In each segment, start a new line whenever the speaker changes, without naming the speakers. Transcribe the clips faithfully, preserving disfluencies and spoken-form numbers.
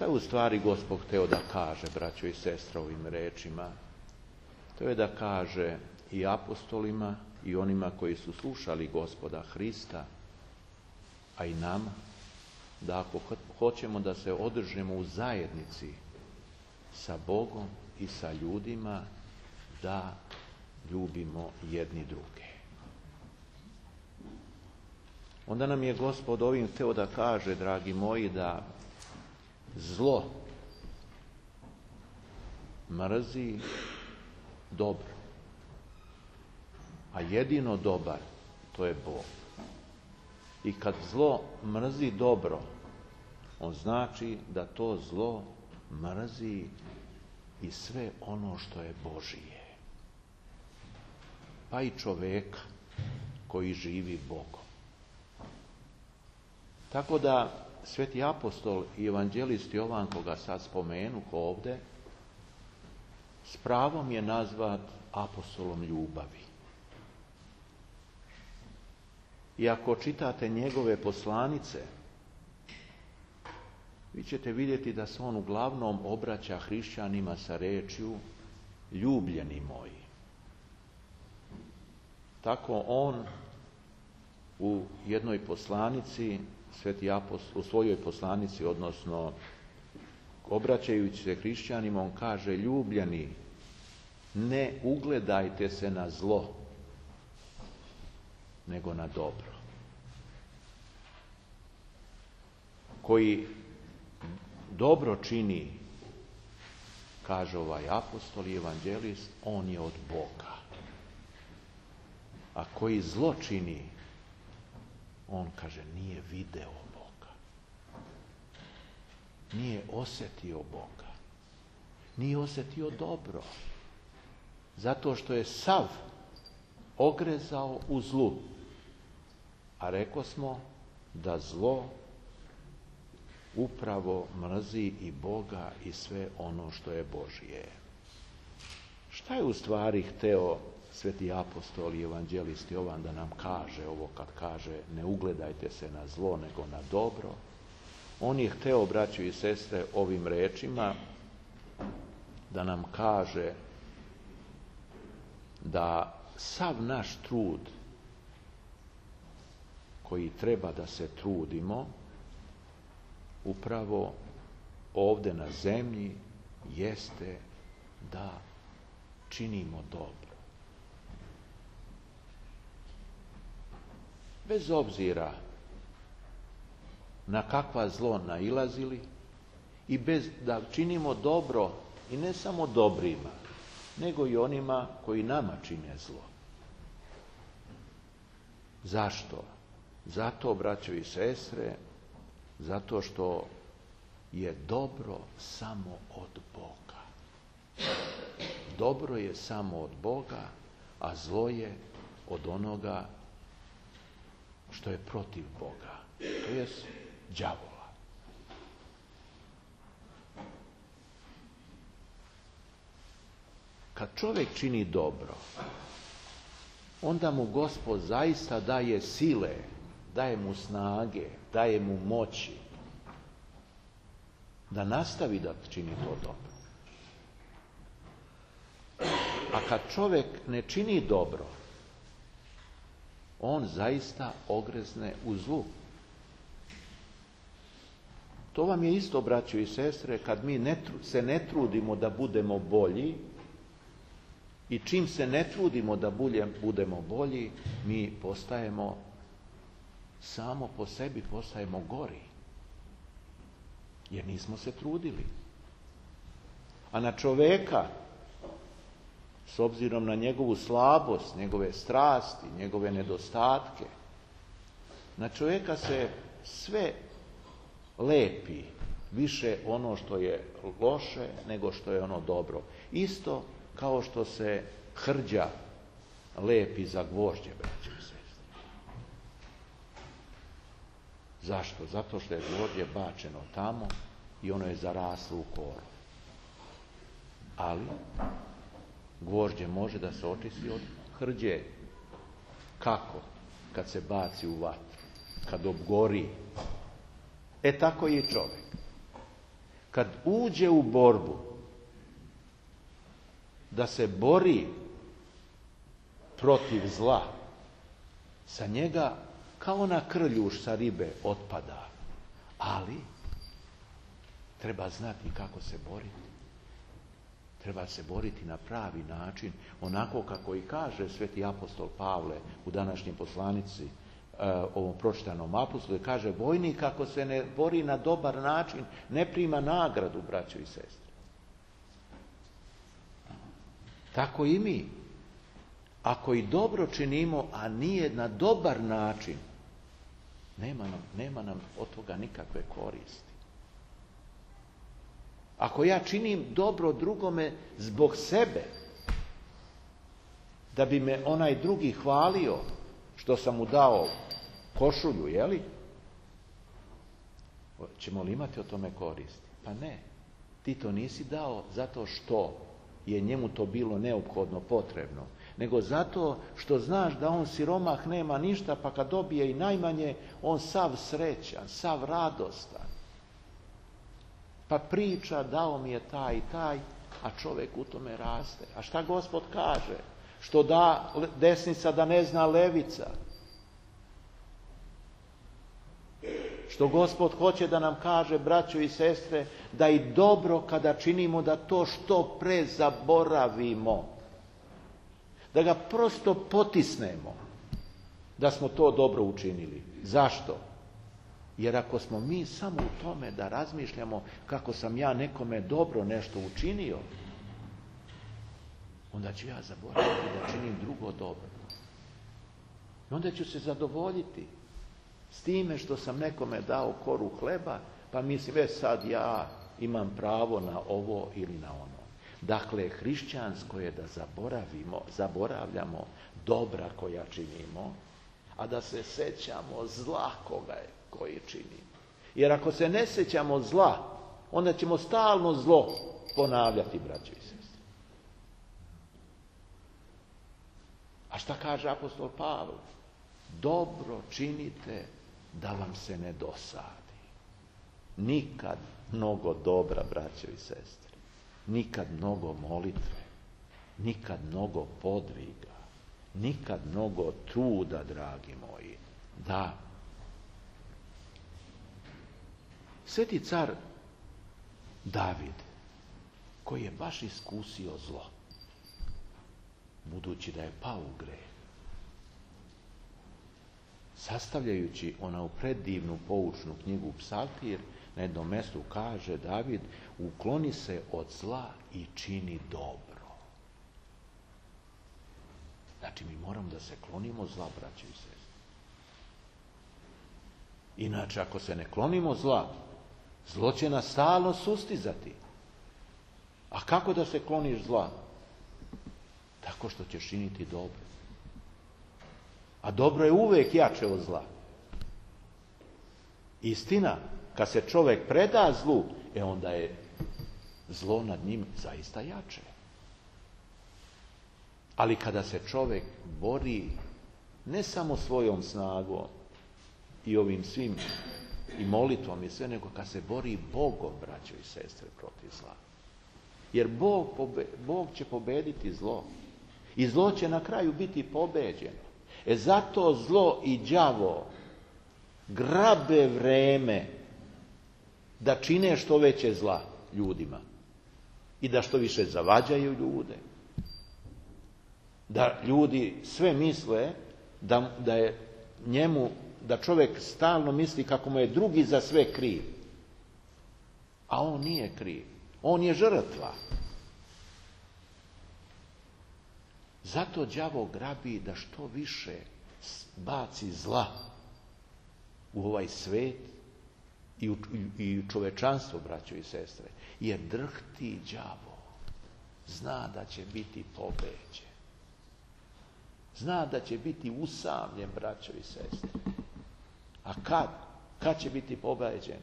Šta je u stvari Gospod hteo da kaže, braćo i sestre, ovim rečima? To je da kaže i apostolima i onima koji su slušali Gospoda Hrista, a i nama, da ako hoćemo da se održimo u zajednici sa Bogom i sa ljudima, da ljubimo jedni druge. Onda nam je Gospod ovim hteo da kaže, dragi moji, da zlo mrzi dobro, a jedino dobar to je Bog. I kad zlo mrzi dobro, on znači da to zlo mrzi i sve ono što je Božije, pa i čoveka koji živi Bogom. Tako da sveti apostol i evanđelist Jovan, koga sad spomenu ovde, s pravom je nazvat apostolom ljubavi. I ako čitate njegove poslanice, vi ćete vidjeti da se on uglavnom obraća hrišćanima sa rečju ljubljeni moji. Tako on u jednoj poslanici, sveti apostol, u svojoj poslanici, odnosno obraćajući se hrišćanima, on kaže: ljubljeni, ne ugledajte se na zlo, nego na dobro. Koji dobro čini, kaže ovaj apostol i evanđelist, on je od Boga. A koji zlo čini, on kaže nije video Boga. Nije osjetio Boga. Nije osjetio dobro. Zato što je sav ogrezao u zlu. A reko smo da zlo upravo mrzi i Boga i sve ono što je Božje. Šta je u stvari hteo sveti apostol i evanđelist Jovan da nam kaže ovo kad kaže ne ugledajte se na zlo nego na dobro? On je hteo, braćo i sestre, ovim rečima da nam kaže da sav naš trud koji treba da se trudimo upravo ovde na zemlji jeste da činimo dobro. Bez obzira na kakva zlo nailazili i bez da činimo dobro i ne samo dobrima, nego i onima koji nama čine zlo. Zašto? Zato, braćo i sestre, zato što je dobro samo od Boga. Dobro je samo od Boga, a zlo je od onoga što je protiv Boga, to je đavola. Kad čovjek čini dobro, onda mu Gospod zaista daje sile, daje mu snage, daje mu moći da nastavi da čini to dobro. A kad čovjek ne čini dobro, on zaista ogrezne u zlu. To vam je isto, braćo i sestre, kad mi ne, se ne trudimo da budemo bolji i čim se ne trudimo da budemo bolji, mi postajemo, samo po sebi postajemo gori. Jer nismo se trudili. A na čoveka, s obzirom na njegovu slabost, njegove strasti, njegove nedostatke, na čovjeka se sve lepi, više ono što je loše nego što je ono dobro. Isto kao što se hrđa lepi za gvožđe, braćo i sestre. Zašto? Zato što je gvožđe bačeno tamo i ono je zaraslo u koru. Ali gvožđe može da se očisti od hrđe. Kako? Kad se baci u vatru, kad obgori. E tako i čovjek. kad uđe u borbu, da se bori protiv zla, sa njega kao ona krljuš sa ribe otpada. Ali treba znati kako se boriti. Treba se boriti na pravi način, onako kako i kaže sveti apostol Pavle u današnjoj poslanici, ovom pročitanom apostolu, kaže: vojnik ako se ne bori na dobar način, ne prima nagradu, braćo i sestre. Tako i mi. Ako i dobro činimo, a nije na dobar način, nema nam, nema nam od toga nikakve koristi. Ako ja činim dobro drugome zbog sebe, da bi me onaj drugi hvalio što sam mu dao košulju, jeli? Ćemo li imati o tome koristi? Pa ne. Ti to nisi dao zato što je njemu to bilo neophodno, potrebno, nego zato što znaš da on siromah nema ništa, pa kad dobije i najmanje, on sav srećan, sav radostan. Pa priča, dao mi je taj i taj, a čovjek u tome raste. A šta Gospod kaže? Što da desnica da ne zna levica. Što Gospod hoće da nam kaže, braćo i sestre, da i dobro kada činimo, da to što pre zaboravimo. Da ga prosto potisnemo da smo to dobro učinili. Zašto? Jer ako smo mi samo u tome da razmišljamo kako sam ja nekome dobro nešto učinio, onda ću ja zaboraviti da činim drugo dobro. I onda ću se zadovoljiti s time što sam nekome dao koru hleba, pa mislim, već sad ja imam pravo na ovo ili na ono. Dakle, hrišćansko je da zaboravimo, zaboravljamo dobra koja činimo, a da se sećamo zla koga je, koji činimo. Jer ako se ne sećamo zla, onda ćemo stalno zlo ponavljati, braćo i sestre. A šta kaže apostol Pavle? Dobro činite da vam se ne dosadi. Nikad mnogo dobra, braćo i sestre. Nikad mnogo molitve. Nikad mnogo podviga. Nikad mnogo truda, dragi moji. Da. Sveti car David, koji je baš iskusio zlo, budući da je pao u greh, sastavljajući onu predivnu poučnu knjigu Psaltir, na jednom mjestu kaže David: ukloni se od zla i čini dobro. Znači, mi moramo da se klonimo zla, braćo i sestre. Inače, ako se ne klonimo zla, zlo će nas stalno sustizati. A kako da se kloniš zla? Tako što ćeš činiti dobro. A dobro je uvijek jače od zla. Istina, kad se čovjek preda zlu, e onda je zlo nad njim zaista jače. Ali kada se čovjek bori ne samo svojom snagom i ovim svim i molitvom i sve, nego kad se bori Bogom, braćo i sestre, protiv zla. Jer Bog, pobe, Bog će pobediti zlo. I zlo će na kraju biti pobeđeno. E zato zlo i đavo grabe vreme da čine što veće zla ljudima. I da što više zavađaju ljude. Da ljudi sve misle da, da je njemu, da čovjek stalno misli kako mu je drugi za sve kriv. A on nije kriv. On je žrtva. Zato đavo grabi da što više baci zla u ovaj svet i u, i u čovečanstvo, braćo i sestre. Jer drhti đavo zna da će biti pobeđen. Zna da će biti usamljen, braćo i sestre. A kad? Kad će biti pobeđen?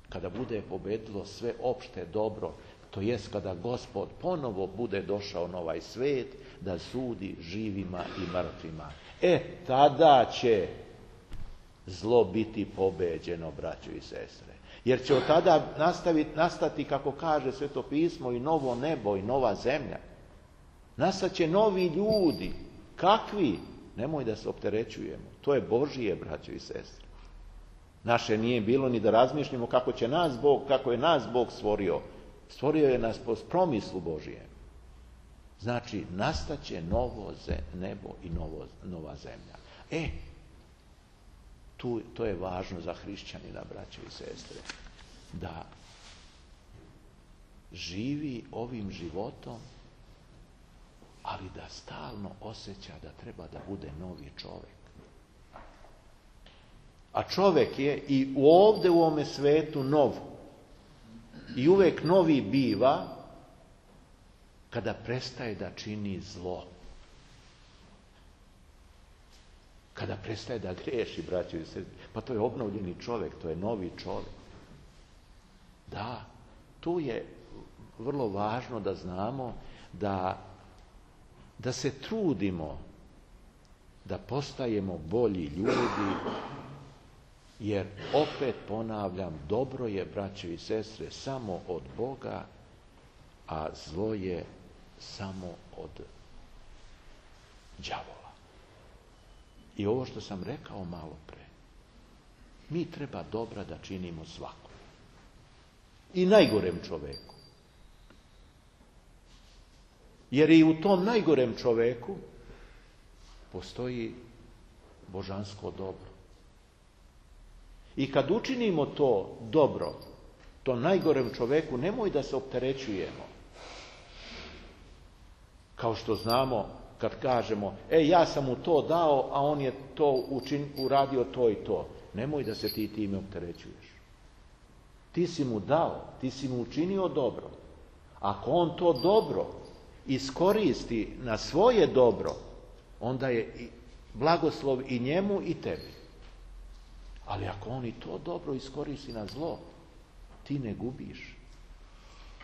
Kada bude pobedilo sve opšte dobro, to jest kada Gospod ponovo bude došao na ovaj svet da sudi živima i mrtvima. E, tada će zlo biti pobeđeno, braćo i sestre. Jer će od tada nastaviti, nastati, kako kaže Sveto pismo, i novo nebo i nova zemlja. Nastat će novi ljudi. Kakvi? Nemoj da se opterećujemo. To je Božije, braćo i sestre. Naše nije bilo ni da razmišljamo kako će nas Bog, kako je nas Bog stvorio. Stvorio je nas po promislu Božijem. Znači, nastaće novo nebo i novo, nova zemlja. E, tu, to je važno za hrišćanina, braćo i sestre, da živi ovim životom, ali da stalno osjeća da treba da bude novi čovjek. A čovjek je i ovdje u ovome svetu nov. I uvijek novi biva kada prestaje da čini zlo. Kada prestaje da griješi, braćo i sestre. Pa to je obnovljeni čovjek, to je novi čovjek. Da, tu je vrlo važno da znamo da, da se trudimo da postajemo bolji ljudi, jer opet ponavljam, dobro je, braćo i sestre, samo od Boga, a zlo je samo od đavola. I ovo što sam rekao malo pre, mi treba dobra da činimo svakom. I najgorem čoveku. Jer i u tom najgorem čoveku postoji božansko dobro. I kad učinimo to dobro, to najgorem čoveku, nemoj da se opterećujemo. Kao što znamo, kad kažemo, e, ja sam mu to dao, a on je to učin, uradio to i to. Nemoj da se ti time opterećuješ. Ti si mu dao, ti si mu učinio dobro. Ako on to dobro iskoristi na svoje dobro, onda je blagoslov i njemu i tebi. Ali ako on i to dobro iskoristi na zlo, ti ne gubiš.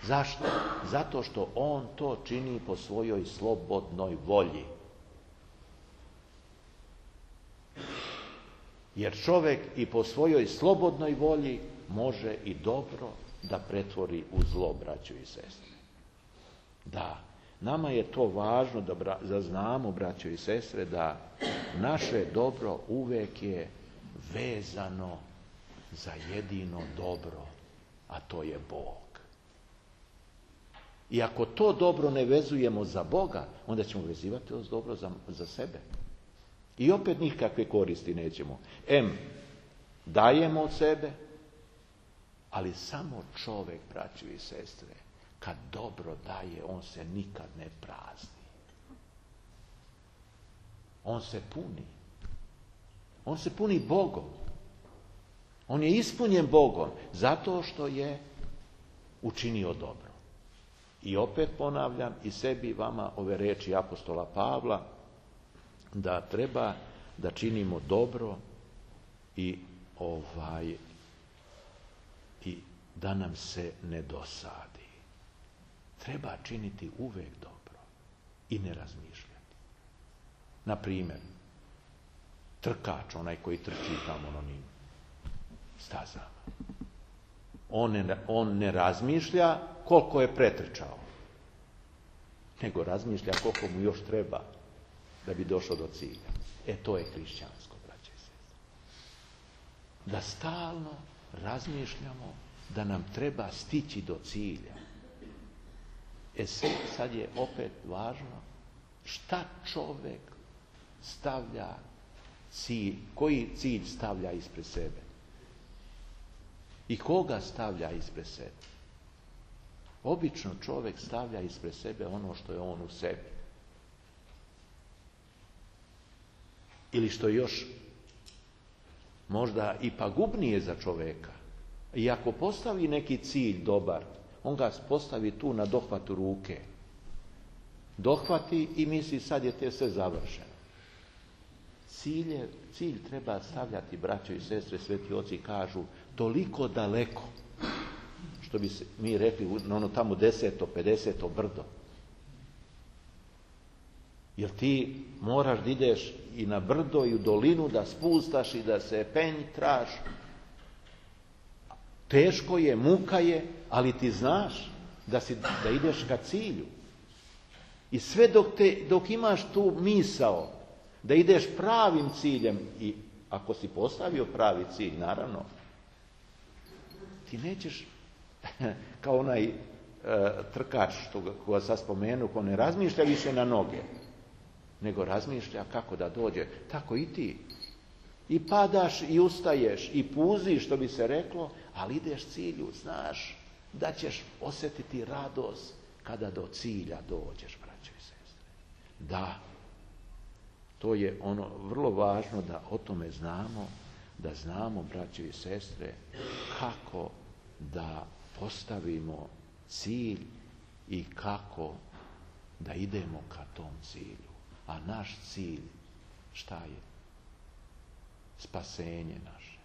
Zašto? Zato što on to čini po svojoj slobodnoj volji. Jer čovjek i po svojoj slobodnoj volji može i dobro da pretvori u zlo, braćo i sestre. Da, nama je to važno da, da znamo, braćo i sestre, da naše dobro uvijek je vezano za jedino dobro, a to je Bog. I ako to dobro ne vezujemo za Boga, onda ćemo vezivati to dobro za, za sebe. I opet nikakve koristi nećemo. Em, dajemo od sebe, ali samo čovjek, braćo i sestre, kad dobro daje, on se nikad ne prazni. On se puni. On se puni Bogom. On je ispunjen Bogom zato što je učinio dobro. I opet ponavljam i sebi i vama ove riječi apostola Pavla, da treba da činimo dobro i ovaj i da nam se ne dosadi. Treba činiti uvijek dobro i ne razmišljati. Na primjer, trkač, onaj koji trči tamo na onim stazama. On ne, on ne razmišlja koliko je pretrčao, nego razmišlja koliko mu još treba da bi došao do cilja. E, to je hrišćansko, braće i sestre. Da stalno razmišljamo da nam treba stići do cilja. E sad je opet važno šta čovjek stavlja cilj, koji cilj stavlja ispred sebe. I koga stavlja ispred sebe? Obično čovjek stavlja ispred sebe ono što je on u sebi. Ili što je još možda i pagubnije za čovjeka. I ako postavi neki cilj dobar, on ga postavi tu na dohvatu ruke. Dohvati i misli sad je te sve završeno. Cilj, je, cilj treba stavljati, braćo i sestre, sveti oci kažu, toliko daleko, što bi se, mi rekli na ono tamo deseto, pedeseto brdo. Jer ti moraš da ideš i na brdo i u dolinu, da spustaš i da se pentraš. Teško je, muka je, ali ti znaš da, si, da ideš ka cilju. I sve dok, te, dok imaš tu misao da ideš pravim ciljem, i ako si postavio pravi cilj, naravno, ti nećeš, kao onaj e, trkač što ga, koga sad spomenu, ko ne razmišlja više na noge, nego razmišlja kako da dođe. Tako i ti. I padaš i ustaješ i puziš, što bi se reklo, ali ideš cilju, znaš da ćeš osjetiti radost kada do cilja dođeš, braćo i sestre. Da, to je ono vrlo važno da o tome znamo, da znamo, braćo i sestre, kako da postavimo cilj i kako da idemo ka tom cilju. A naš cilj, šta je? Spasenje naše.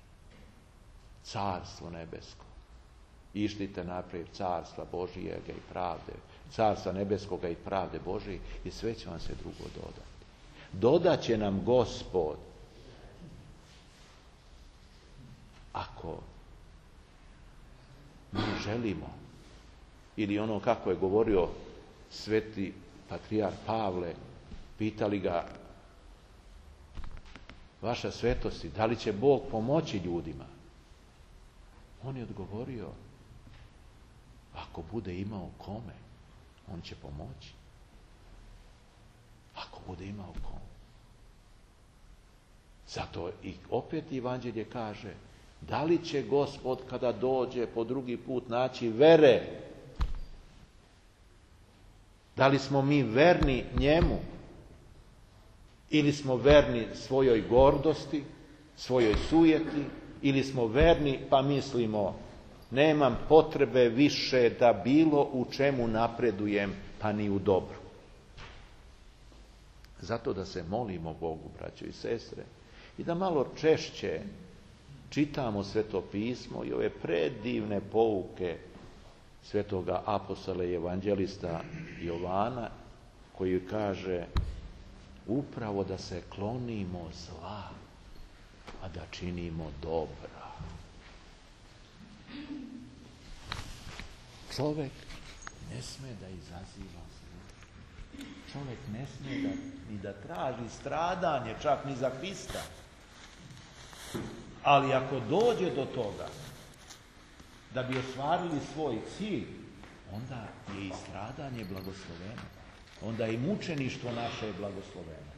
Carstvo nebesko. Išlite naprijed carstva Božijega i pravde. Carstva nebeskoga i pravde Božije i sve će vam se drugo dodati. Dodat će nam Gospod ako mi želimo, ili ono kako je govorio sveti patrijarh Pavle, pitali ga, vaša svetosti, da li će Bog pomoći ljudima? On je odgovorio, ako bude imao kome, on će pomoći. Ako bude imao kome. Zato i opet Evanđelje kaže, da li će Gospod kada dođe po drugi put naći vere? Da li smo mi verni njemu? Ili smo verni svojoj gordosti, svojoj sujeti, ili smo verni pa mislimo, nemam potrebe više da bilo u čemu napredujem, pa ni u dobru. Zato da se molimo Bogu, braćo i sestre, i da malo češće čitamo Sveto pismo i ove predivne pouke svetoga apostola i evanđelista Jovana, koji kaže upravo da se klonimo zla, a da činimo dobra. Čovjek ne sme da izaziva zlo. Čovjek ne sme da, ni da traži stradanje, čak ni za Hrista. Ali ako dođe do toga da bi ostvarili svoj cilj, onda je i stradanje blagosloveno. Onda i mučeništvo naše je blagosloveno.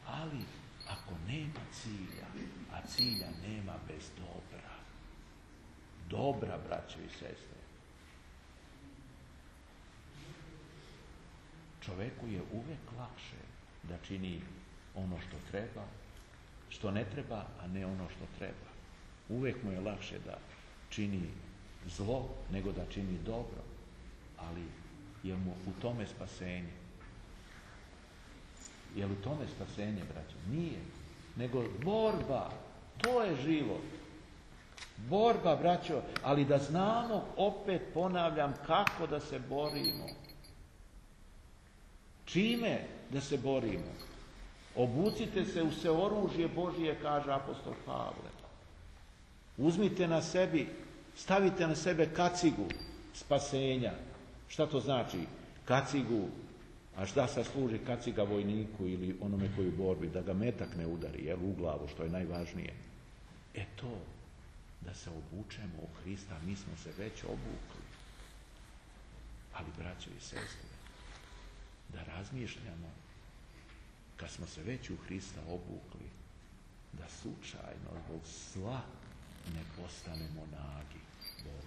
Ali ako nema cilja, a cilja nema bez dobra. Dobra, braćo i sestre. Čovjeku je uvijek lakše da čini ono što treba, što ne treba, a ne ono što treba. Uvijek mu je lakše da čini zlo nego da čini dobro. Ali je mu u tome spasenje? Je li u tome spasenje, braćo? Nije. Nego borba. To je život. Borba, braćo, ali da znamo, opet ponavljam, kako da se borimo. Čime da se borimo? Obucite se u sve oružje Božije, kaže apostol Pavle. Uzmite na sebi, stavite na sebe kacigu spasenja. Šta to znači? Kacigu. A šta sad služi kaciga vojniku ili onome koji u borbi? Da ga metak ne udari, jel, u glavu, što je najvažnije. E to, da se obučemo u Hrista, mi smo se već obukli. Ali, braćo i sestre, da razmišljamo, kad smo se već u Hrista obukli, da slučajno zbog zla ne postanemo nagi. Bog.